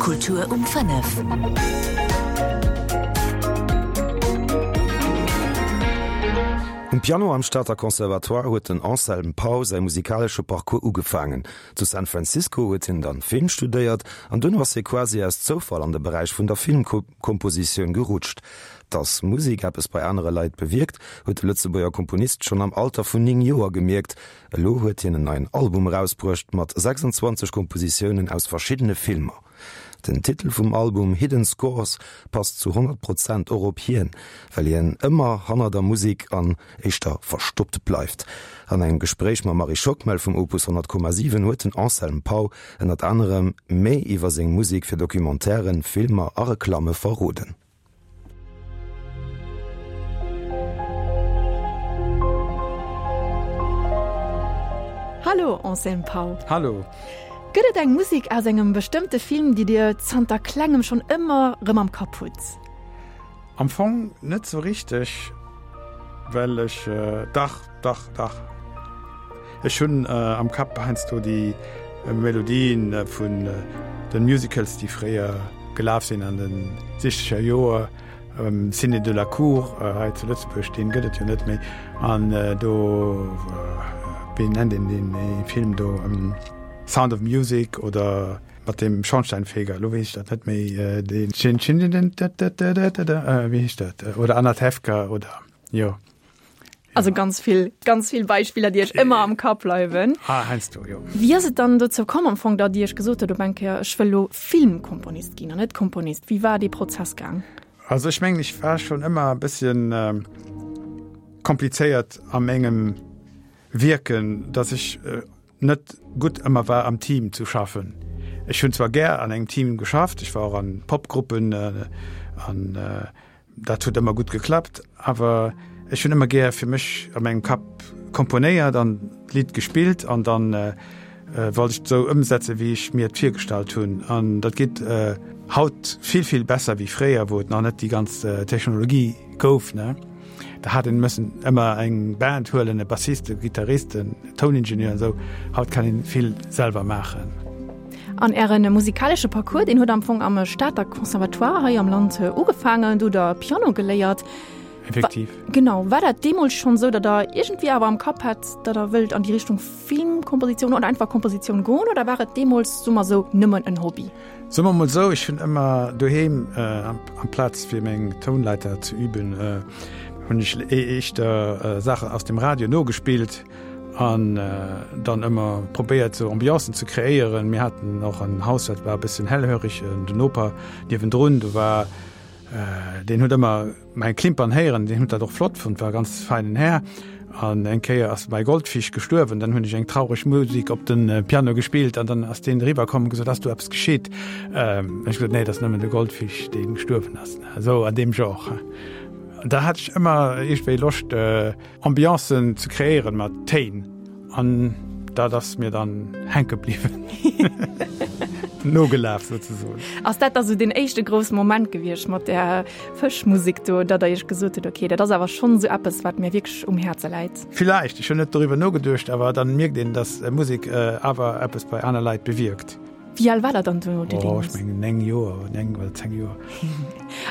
Kultur um 5. Um Piano am Stater Conservatoire huet den Anselme Pau säi musikalesche Parcours ugefaangen. Zu San Francisco huet hien dann Film studéiert an duerno ass hie quasi aus Zoufall an de Beräich vun der Filmkompositioun gerutscht. Dass Musek eppes bei anere Leit bewierkt, huet de Lëtzebuerger Komponist schonn am Alter vun 9 Joer gemierkt. Elo huet hien en neien Album erausbruecht mat 26 Kompositiounen aus verschiddene Filmer. Den Titel vum Album Hidden Scores passt zu 100 Prozent och op hien, well hien ëmmer hanner der Musek an éischter verstoppt bleift. An engem Gespréich mam Marie Schockmel vum Opus 100,7 huet den Anselme Pau ënnert anerem méi iwwer seng Musek fir Documentairen, Filmer a Reklamme verroden. Hallo Anselme Pau. Hallo. Gëtt et eng Musek aus engem bestëmmte Film, déi Dir zanter klengem schonn ëmmer rëm am Kapp hutt? Am Fong net sou richteg, well ech, dach, dach, dach, ech hunn am Kapp heiansdo déi Melodien vun den Musicals, déi fréier gelaf sinn an de sichzeger Joer, Ciné de la Cour hei zu Lëtzebuerg, deen gëtt et jo net méi, an do, wéi nennt een deen Film do, Sound of Music oder mat deem Schornsteinfeger, elo weess ech dat net méi, deen, wéi heescht dat, oder Anatevka oder, jo. Also ganz vill, ganz vill Beispiller, déi Iech ëmmer am Kapp bleiwen. Ah, heiansdo, jo. Wéi ass et dann dozou komm am Fong, datt Dir Iech gesot hutt op eng Kéier, ech wëll elo Filmkomponist ginn an net Komponist? Wéi war dee Prozess gaang? Also ech mengen, ech war schonn ëmmer e bësschen komplizéiert a mengem Wierken, datt ech net gutt ëmmer war am Team zu schaffen. Ech hunn zwar gär an engem Team geschafft, ech war och an Popgruppen an Dat huet ëmmer gutt geklappt, awer ech hunn ëmmer gär fir mech a mengem Kapp komponéiert an d'Lidd gespillt an dann wollt ech et esou ëmsetzen, wéi ech mir et virgestallt hunn. An dat geet haut vill, vill besser wéi fréier, wou et nach net déi ganz Technologie gouf. Da hat een mëssen ëmmer eng Band huelen, e Bassist, e Gittarist, en Touningenieur an esou. Haut kann een vill selwer maachen. An Ären musikalesche Parcours, deen huet am Fong am Stater Conservatoire hei am Land ugefaangen. Do hutt Der Piano geléiert. Effektiv. Genau. War dat deemools schonn esou, datt Der iergendwéi awer am Kapp hat, datt Der wëllt an déi Richtung Filmkompositioun oder einfach Kompositioun goen oder war et deemools, soe mer esou, nëmmen en Hobby? Soe mer mol esou, ech hunn ëmmer doheem, amplaz fir meng Tounleiter ze üben, hunn ech éischter Saachen aus dem Radio nogespillt an dann ëmmer probéiert sou Ambiancen ze kreéieren. Mir haten och en Haus, dat war e bëssen hellhörig, den Noper niewendrun, do war, deen huet ëmmer Mäi Klimpern héieren, deen huet dat och flott fonnt, war e ganz feinen Här. An eng Kéier ass mäi Goldfisch gestuerwen, dann hunn ech eng traureg Musik op de Piano gespillt an dann ass deen eriwwer komm an gesot, Ass do eppes geschitt? Hunn ech gesot, Nee, et ass nëmmen de Goldfisch, dee gestuerwen ass. Esou an deem Genre. Da hat ech ëmmer iergendwéi Loscht, Ambiancen ze kreéieren mat Téin an dat ass mir dann hänke bliwwen. Nogelaf souzesoen. Ass dat da sou deen éischte grousse Moment gewiescht mat där Fëschmusek do, datt der iech gesot hutt, ok, dat ass awer schonn esou eppes, wat mir wierklech um Häerze läit? Villäicht, ech hunn net doriwwer nogeduecht, awer dann mierkt een, datt Musek awer eppes bei aner Leit bewierkt. Wéi al war der dann do? Oh, ech mengen 9 Joer, 9 oder 10 Joer.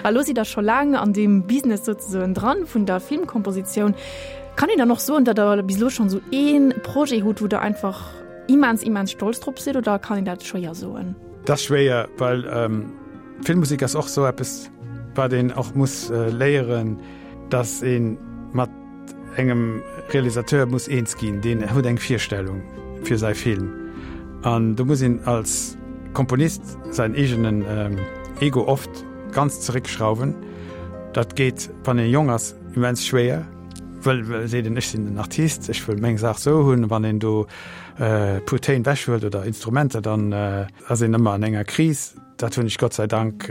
A lo sidd der scho laang an deem Business souzesoen dran, vun der Filmkompositioun. Kann een dann och soen, datt der bis elo schonn esou ee Projet hutt, wou der einfach immens, immens stolz drop sidd, oder kann een dat schwéier soen? Dat ass schwéier, well Filmmusek ass och esou eppes, wat een och muss léieren, datt ee mat engem Realisateur muss eens ginn, deen huet eng Virstellung fir säi Film an do muss een als Komponist säin eegenen Ego oft ganz zeréckschrauwen. Dat geet, wann ee jonk ass, immens schwéier, wëll seet een, ech sinn den Artist, ech wëll meng Saach sou hunn. Wann een do e puer Téin wechhuelt oder Instrumenter, dann ass een ëmmer an enger Kris. Dat hunn ech Gott sei Dank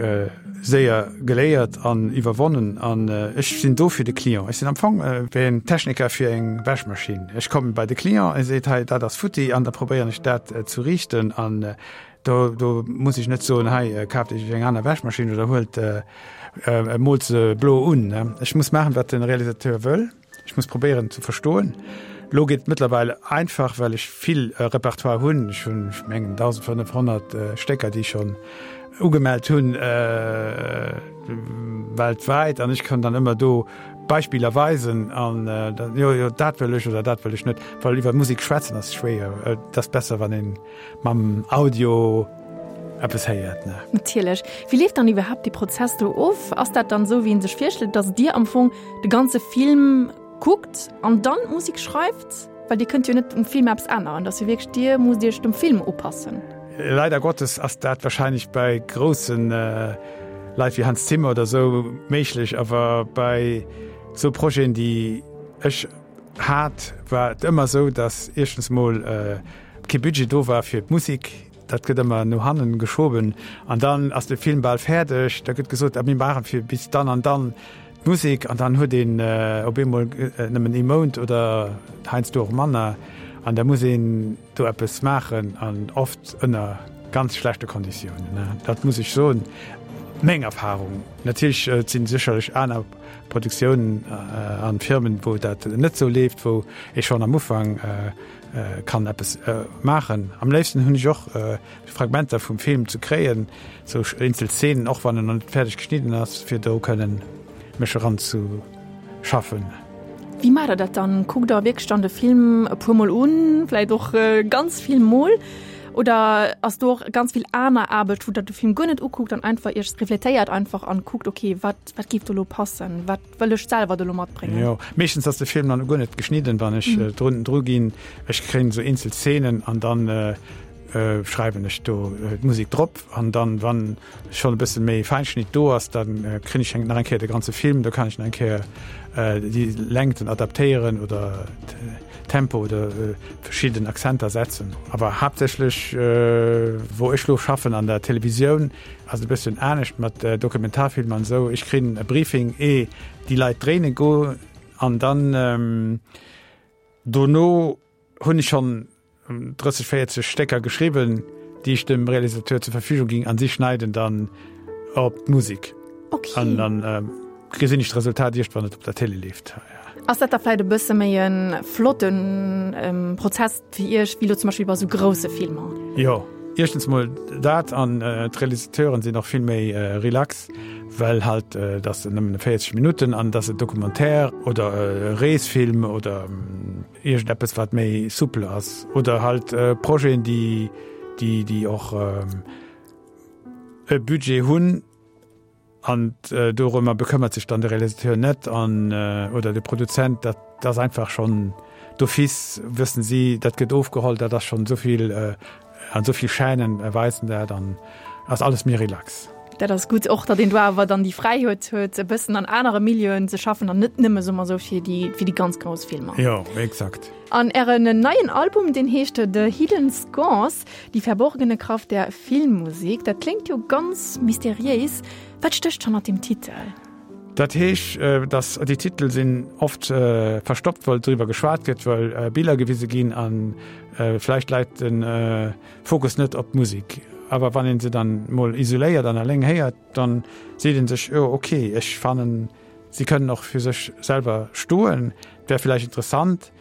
séier geléiert an iwwerwonnen an ech sinn do fir de Client. Ech sinn am Fong wéi en Techniker fir eng Wäschmaschinn. Ech komme bei de Client, e seet, hei dat ass futti an da probéieren ech dat zu riichten an do do muss ech net soen, hei kaaft Iech eng aner Wäschmaschinn oder huelt moolt se blo un. Ech muss maachen, wat de Realisateur wëll. Ech muss probéieren ze verstoen. Lo geet et mëttlerweil einfach, well ech vill Repertoire hunn. Ech hunn, ech mengen, 1.500 Stécker, déi ech schonn ugemellt hunn weltwäit an ech kann dann ëmmer do Beispiller weisen an dann, jo, jo, dat wëll ech oder dat wëll ech net. Well iwwer Musek schwätzen ass schwéier. Et ass besser, wann een mam Audio eppes héiert, ne? Natierlech. Wéi leeft dann iwwerhaapt dee Prozess do of? Ass dat dann esou, wéi een sech virstellt, datt Dir am Fong de ganze Film kuckt an dann d'Musek schreift? Well Dir kënnt jo net um Film eppes änneren, dat ass jo wierklech, Dir musst Iech dem Film upassen. Leider Gottes ass dat wahrscheinlech bei groussen Leit wéi Hans Zimmer oder sou méiglech, awer bei sou Projeten déi ech hat, war et ëmmer sou, datt éischtens mol kee Budget do war fir d'Musek, dat gëtt ëmmer no hannen geschoben an dann ass de Film bal fäerdeg, da gëtt gesot, ah mir maachen fir bis dann an dann d'Musek an dann huet een op eemol nëmmen ee Mount oder heiansdo och manner an da muss een do eppes maachen an oft ënner ganz schlechte Konditiounen. Dat muss ech soen, meng Erfahrung. Natierlech et sinn sécherlech aner Produktiounen an Firmen, wou dat net esou leeft, wou ee schonn am Ufank kann eppes maachen. Am léifsten hunn ech och Fragmenter vum Film ze kréien, sou eenzel Szenen, och wann en nach net fäerdeg geschnidden ass, fir do kënnen mech eran ze schaffen. Wéi maacht der dat dann? Kuckt der wierklech dann de Film e puer Mol un, vläit och ganz vill Mol, oder ass do och ganz vill aner Aarbecht, wou der de Film guer net ukuckt an einfach iech refletéiert einfach an kuckt, okay, wat wat géif do elo passen, wat wëll ech selwer do elo matbréngen? Jo, meeschtens ass de Film dann guer net geschnidden, wann ech drun dru ginn. Ech kréien esou eenzel Szenen an dann schreiwen ech do d'Musek drop an dann wann schonn e bësse méi Feinschnitt do ass, dann kréien ech nach eng Kéier de ganze Film, do kann ech nach eng Kéier déi Längten adaptéieren oder Tempo oder verschidden Accenter setzen. Awer haaptsächlech wou ech lo schaffen an der Televisioun ass et e bësschen anescht mat Dokumentarfilmer an esou. Ech kréien e Briefing ee déi Leit dréine goen an dann dono hunn ech schonn 30, 40 Stécker geschriwwen, déi ech dem Realisateur zur Verfügung ginn an si schneiden dann op d'Musek. Okay. An dann äh, gesinn ech d'Resultat iert wann et op der Tele leeft. Ja. Ass dat da vläit e bësse méi e flotten ähm, Prozess fir Iech, wéi lo zum Beispill bei sou grousse Filmer? Jo, éischtens mol dat an äh, d'Realisateuren sinn och vill méi äh, relax, well halt äh, dat nëmmen 40 Minutten an dat e Documentaire oder e Reesfilm oder ähm, Iergendeppes wat méi souple ass oder halt Projeten déi déi déi och e Budget hunn an dorëmmer bekëmmert sech dann de Realisateur net an oder de Produzent, dat ass einfach schonn d'office wëssen si, dat gëtt ofgeholl, dat ass schonn esouvill An esou vill Chaînen weisen dat an ass alles méi relax. Dat ass gutt, och datt een do awer dann déi Fräiheet huet, e bëssen an anere Milieuen ze schaffen an net nëmme soe mer esou fir déi, fir déi ganz grouss Filmer. Jo, exakt. An Ären neien Album, deen heescht The Hidden Scores, Die verborgene Kraft der Filmmusik. Dat kléngt jo ganz mysteriéis. Wat stécht hannert deem Titel? Dat heesch, dass déi Titel sinn oft verstoppt, well driwwer geschwat gëtt, well Biller gewise ginn a vläicht läit de Fokus net op d'Musek. Awer wann ee se dann mol isoléiert an eleng héiert, dann seet ee sech, jo ok, ech fannen, si kënnen och fir sech selwer stoen. Et wär vläicht interessant,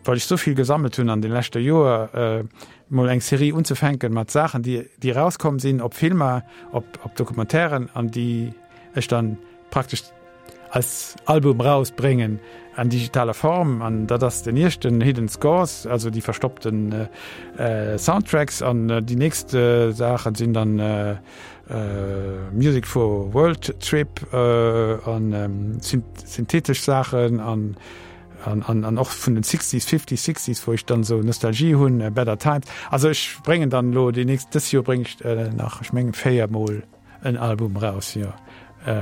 well ech souvill gesammelt hunn an de leschte Joer, mol eng Serie unzefänken mat Saachen, déi erauskomm sinn, op Filmer, op Documentairen an déi ech dann praktesch als Album rausbréngen an digitaler Form. An dat ass den ieschten Hidden Scores, also déi verstoppten Soundtracks. An déi nächst Saachen sinn dann Music for World Trip an synthetesch Saachen an an och vun den Sixties, Fifties, Sixties, wou ech dann esou Nostalgie hunn, Better Times. Also ech bréngen dann elo déi nächst, dës Joer bréng ech nach, ech mengen 4 mol en Album raus, jo,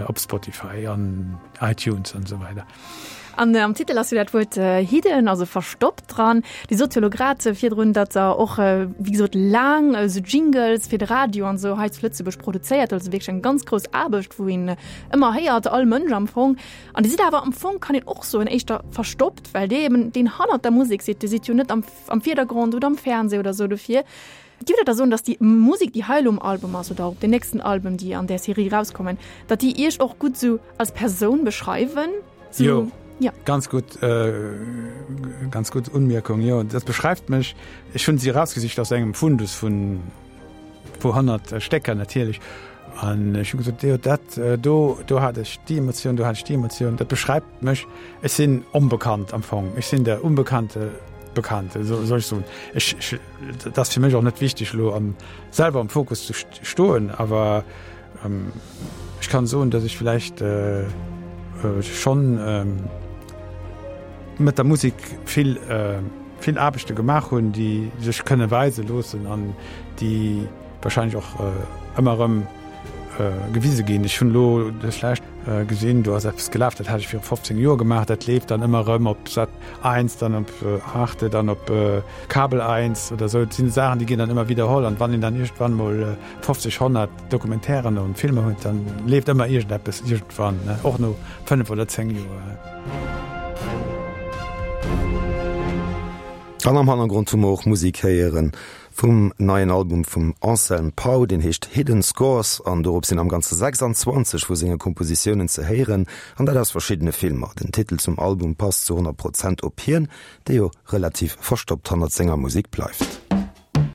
op Spotify an iTunes an esou weider. An am Titel ass jo dat Wuert hidden, also verstoppt dran. Dir sot jo elo grad virdrun, datt Der och, wéi gesot, laang esou Jingles fir de Radio an esou hei zu Lëtzebuerg produzéiert, also wierklech eng ganz grouss Aarbecht, wou een ëmmer héiert, all Mënsch am Fong. An Dir sidd awer am Fong, kann een och soen, éischter verstoppt, well Dir eben deen hannert der Musek sidd. Dir sidd jo net am, am Virdergrond oder am Fernseh oder esou. Dofir giff Der da soen, datt déi Musek, déi hei elo um Album ass oder och op den nächsten Album, déi an där Serie erauskommen, datt déi Iech och gutt esou als Persoun beschreiwen? Jo. Ja. Ganz gutt, ganz gutt Unmierkung, jo. Dat beschreift mech. Ech hunn si erausgesicht aus engem Fundus vun puer 100 Stécker natierlech. An ech hu gesot, jo dat do, do hat ech déi Emotioun, do hat ech déi Emotioun. Dat beschreift mech. Ech sinn onbekannt am Fong. Ech sinn der unbekannte Bekannte, soll ech soen. Ech, ech, dat ass fir mech och net wichteg elo am, selwer am Fokus ze stoen, awer ech kann soen, datt ech vläicht schonn mat der Musek vill, vill Aarbechte gemaach hunn, déi sech kënne weise loossen an déi wahrscheinlech och ëmmer erëm gewise ginn. Ech hunn elo dës lescht gesinn, do ass eppes gelaf, dat hat ech viru 15 Joer gemaach, dat leeft dann ëmmer erëm op Sat 1, dann op Arte, dann op Kabel 1 oder esou. Et sinn Saachen, déi ginn dann ëmmer widderholl an wann een dann iergendwann mol 50, 100 Documentairen an Filmer huet, dann leeft ëmmer iergendeppes iergendwann, och no 5 oder 10 Joer. An am Hannergrond hu mer och Musek héieren vum neien Album vum Anselm Pau, deen heescht Hidden Scores an dorop sinn am Ganze 26 vu senge Kompositiounen ze héieren, an dat aus verschiddene Filmer. Den Titel zum Album passt zu 100 Prozent op hien, dee jo relativ verstoppt hannert senger Musek bleift.